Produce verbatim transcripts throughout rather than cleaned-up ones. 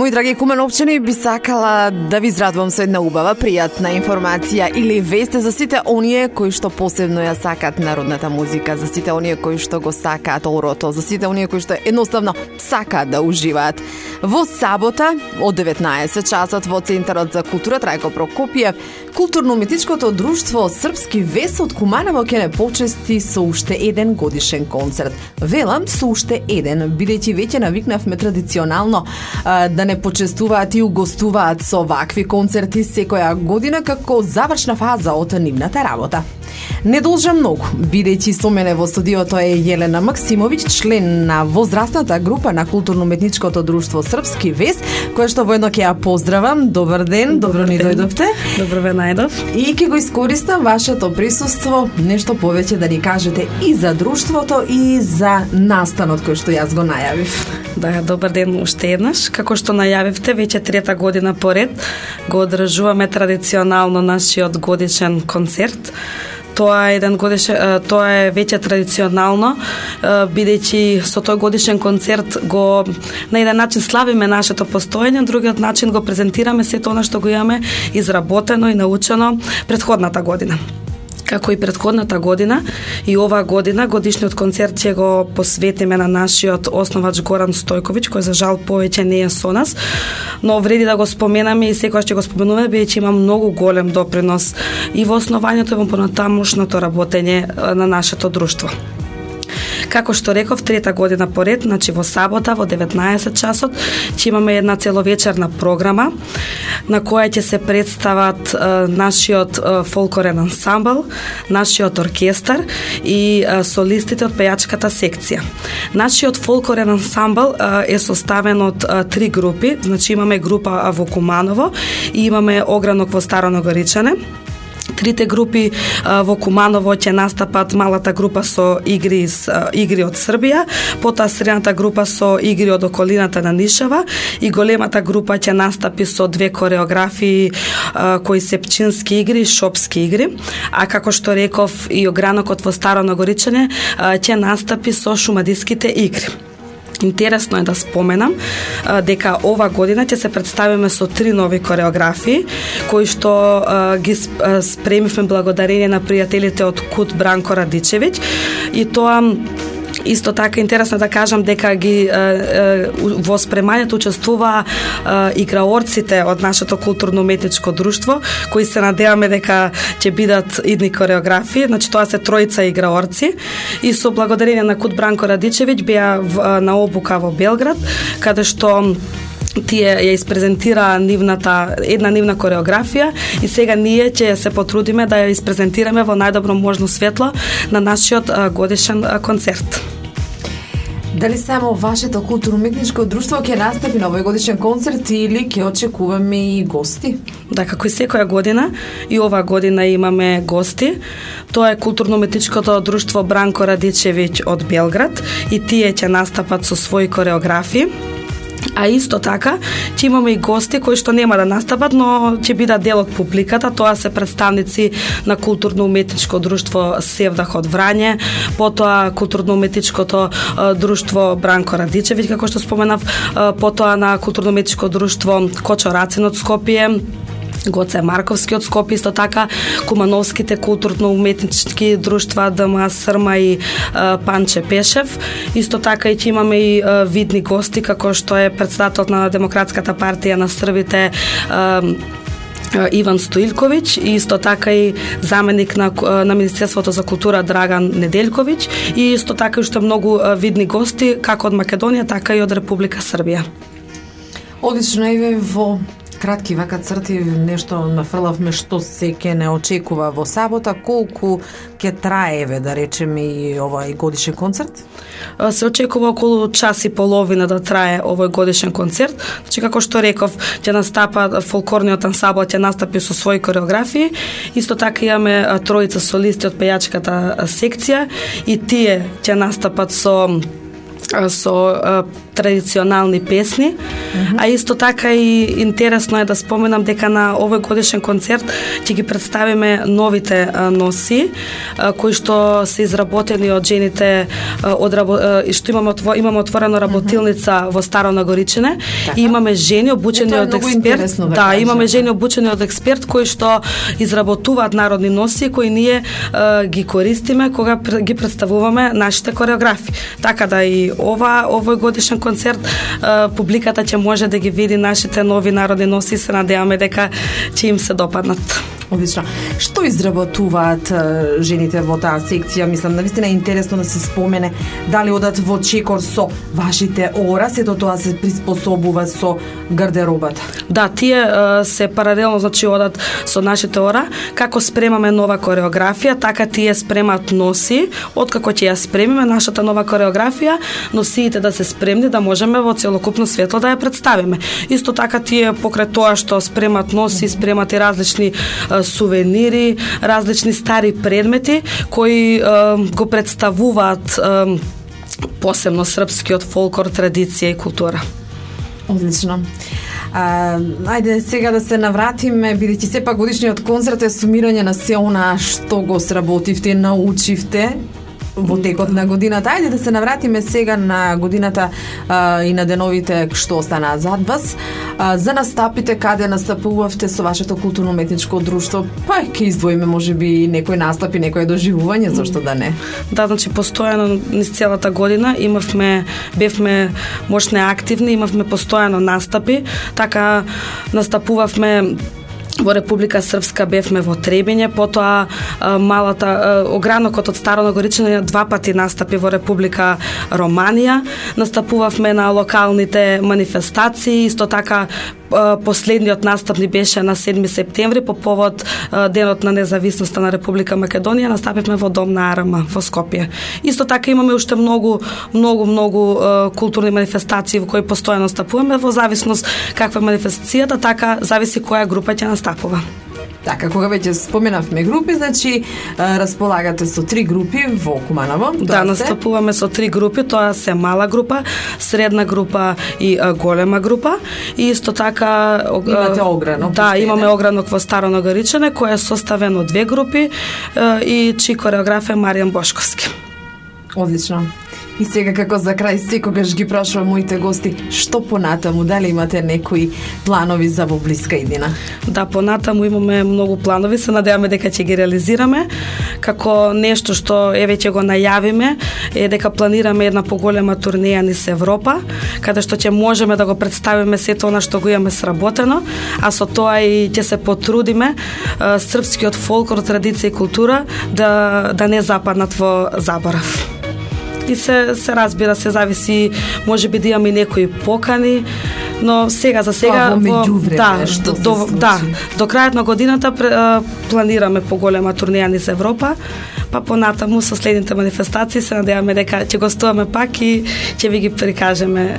Мои драги куменовчани, би сакала да ви израдувам со една убава, пријатна информација или вест за сите оние кои што посебно ја сакаат народната музика, за сите оние кои што го сакаат орото, за сите оние кои што едноставно сакаат да уживаат. Во сабота од деветнаесет часот во Центарот за култура Трајко Прокопиев, Културно-уметничкото друштво Српски вес од Куманово ќе не почести со уште еден годишен концерт. Велам со уште еден, бидејќи веќе навикнавме традиционално а, да не почестуваат и угостуваат со вакви концерти секоја година како завршна фаза од нивната работа. Не должа многу, бидејќи со мене во студиото е Јелена Максимовиќ, член на возрастната група на Културно-уметничкото друштво Српски вес, која што воедно ќе ја поздравам. Добар ден, добро ни дојдовте. Добро ве најдов. И ќе го искористам вашето присуство, нешто повеќе да ни кажете и за друштвото и за настанот кој што јас го најавив. Да, добар ден уште еднаш. Како што најавивте, веќе трета година поред го одржуваме традиционално нашиот годишен концерт. Тоа е еден годишен, тоа е веќе традиционално, бидејќи со тој годишен концерт го на еден начин славиме нашето постоење, другиот начин го презентираме сето она што го имаме изработено и научено претходната година. Како и претходната година, и оваа година годишниот концерт ќе го посветиме на нашиот основач Горан Стојковиќ, кој за жал повеќе не е со нас, но вреди да го споменаме и секогаш ќе го споменуваме, бидејќи има многу голем допринос и во основањето и во понатамошното работење на нашето друштво. Како што реков, трета година поред, значи во сабота во деветнаесет часот, ќе имаме една целовечерна програма на која ќе се представат е, нашиот е, фолклорен ансамбл, нашиот оркестар и е, солистите од пејачката секција. Нашиот фолклорен ансамбл е, е составен од е, три групи, значи имаме група во Куманово и имаме огранок во Старо Ногоричане. Трите групи а, во Куманово ќе настапат, малата група со игри, из, а, игри од Србија, потоа средната група со игри од околината на Нишева и големата група ќе настапи со две кореографии а, кои се пчински игри и шопски игри, а како што реков и огранокот во Старо Ногоричане а, ќе настапи со шумадиските игри. Интересно е да споменам а, дека ова година ќе се представиме со три нови кореографии кои што а, ги спремивме благодарение на пријателите од Кут Бранко Радичевиќ, и тоа исто така интересно да кажам дека ги е, е, во спремањето учествуваа играорците од нашето културно-уметничко друштво, кои се надеваме дека ќе бидат идни кореографии, значи тоа се тројца играорци, и со благодарение на Кут Бранко Радичевиќ беа на обука во Белград, каде што тие ја испрезентира нивната, една нивна кореографија, и сега ние ќе се потрудиме да ја испрезентираме во најдобро можно светло на нашиот годишен концерт. Дали само вашето културно-уметничко друштво ќе настапи на овој годишен концерт или ќе очекуваме и гости? Да, како и секоја година, и оваа година имаме гости. Тоа е културно-уметничкото друштво Бранко Радичевиќ од Белград, и тие ќе настапат со своји кореографии. А исто така, ќе имаме и гости кои што нема да настапат, но ќе бидат дел од публиката. Тоа се представници на Културно-уметничко друштво Севдах од Врање, потоа Културно-уметничкото друштво Бранко Радичевиќ, како што споменав, потоа на Културно-уметничко друштво Кочо Рацин од Скопје, Гоце Марковски од Скопје, исто така кумановските културно-уметнички друштва ДМА Срма и а, Панче Пешев. Исто така и ќе имаме и а, видни гости, како што е председателот на Демократската партија на Србите а, Иван Стоилковиќ, и исто така и заменик на, на Министерството за култура Драган Неделковиќ, и исто така уште многу а, видни гости, како од Македонија, така и од Република Србија. Одлично, еве во кратки вака црти нешто нафрлавме што се ќе не очекува во сабота. Колку ќе трае, еве, да речеме, и овој годишен концерт? Се очекува околу час и половина да трае овој годишен концерт. Значи, како што реков, ќе настапа фолклорниот ансамбл, ќе настапи со своји кореографии. Исто така имаме тројца солисти од пејачката секција, и тие ќе настапат со со традиционални песни, mm-hmm. а исто така и интересно е да споменам дека на овој годишен концерт ќе ги представиме новите а, носи а, кои што се изработени од жените а, од и што имаме отво, имаме отворено работилница mm-hmm. во Старо Нагоричине и имаме жени обучени од експерт. Да, да имаме жени обучени од експерт кои што изработуваат народни носи кои ние а, ги користиме кога ги представуваме нашите кореографи. Така да и ова овој годишен концерт а, публиката ќе може да ги види нашите нови народни носи и се надеваме дека ќе им се допаднат. Одлично. Што изработуваат жените во таа секција? Мислам, навистина е интересно да се спомене дали одат во чекор со вашите ора, сето тоа се приспособува со гардеробата. Да, тие се паралелно, значи одат со нашите ора, како спремаме нова кореографија, така тие спремат носи, откако ќе ја спремиме нашата нова кореографија, носиите да се спремни да можеме во целокупно светло да ја представиме. Исто така тие покрај тоа што спремат носи, спремат и различни сувенири, различни стари предмети кои е, го представуваат е, посебно српскиот фолклор, традиција и култура. Одлично. А, ајде сега да се навратиме, бидејќи сепак годишниот концерт е сумирање на се она што го сработивте, научивте во текот на годината. Ајде да се навратиме сега на годината а, и на деновите што останаат зад вас. А, за настапите, каде настапувавте со вашето културно-уметничко друштво, па ќе издвоиме можеби некој настап и некој доживување, зашто да не? Да, значи постојано низ целата година имавме, бевме мощне активни, имавме постојано настапи, така настапувавме во Република Српска, бевме во Требиње, потоа малата огранокот од Старо Нагоричине два пати настапи во Република Романија, настапувавме на локалните манифестации, исто така последниот настап ни беше на седми септември по повод денот на независноста на Република Македонија, настапивме во Дом на Арама во Скопје. Исто така имаме уште многу многу многу културни манифестации во кои постојано настапуваме, во зависност каква е манифестацијата, така зависи која група ќе настапува. Така, кога веќе споменавме групи, значи располагате со три групи во Куманово. Да, настапуваме со три групи, тоа се мала група, средна група и а, голема група. И исто така имате огранок. Да, имаме огранок во Старо Нагоричине кој е составен од две групи а, и чии кореограф е Маријан Бошковски. Одлично. И сега како за крај секогаш ги прашувам моите гости, што понатаму, дали имате некои планови за во блиска иднина? Да, понатаму имаме многу планови, се надеваме дека ќе ги реализираме. Како нешто што еве ќе го најавиме е дека планираме една поголема турнеја низ Европа, каде што ќе можеме да го представиме сето она што го имаме сработено, а со тоа и ќе се потрудиме а, српскиот фолклор, традиција и култура да да не западнат во заборав. И се, се разбира, се зависи, може би да имаме некои покани, но сега за сега во да, до, до, да, до крајот на годината планираме поголема турнеја низ Европа, па понатаму со следните манифестации се надеваме дека ќе гостуваме пак и ќе ви ги прикажеме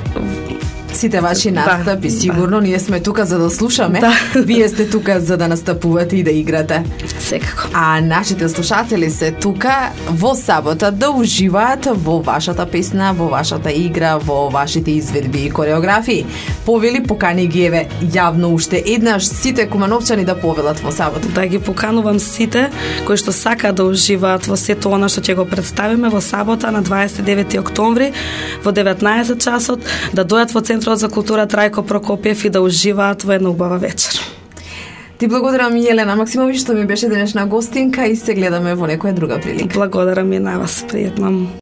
сите ваши настапи, да, сигурно, да. Ние сме тука за да слушаме, да. Вие сте тука за да настапувате и да играте. Секако. А нашите слушатели се тука во сабота да уживаат во вашата песна, во вашата игра, во вашите изведби и кореографии. Повели, покани ги еве јавно уште еднаш сите кумановчани да повелат во сабота. Да ги поканувам сите кои што сакаат да уживаат во сето она што ќе го представиме во сабота на дваесет и девети октомври во деветнаесет часот, да дојдат во Центарот за култура Трајко Прокопиев и да уживаат во една убава вечер. Ти благодарам, Јелена Максимовиќ, што ми беше денешна гостинка и се гледаме во некоја друга прилика. Благодарам и на вас, пријатно.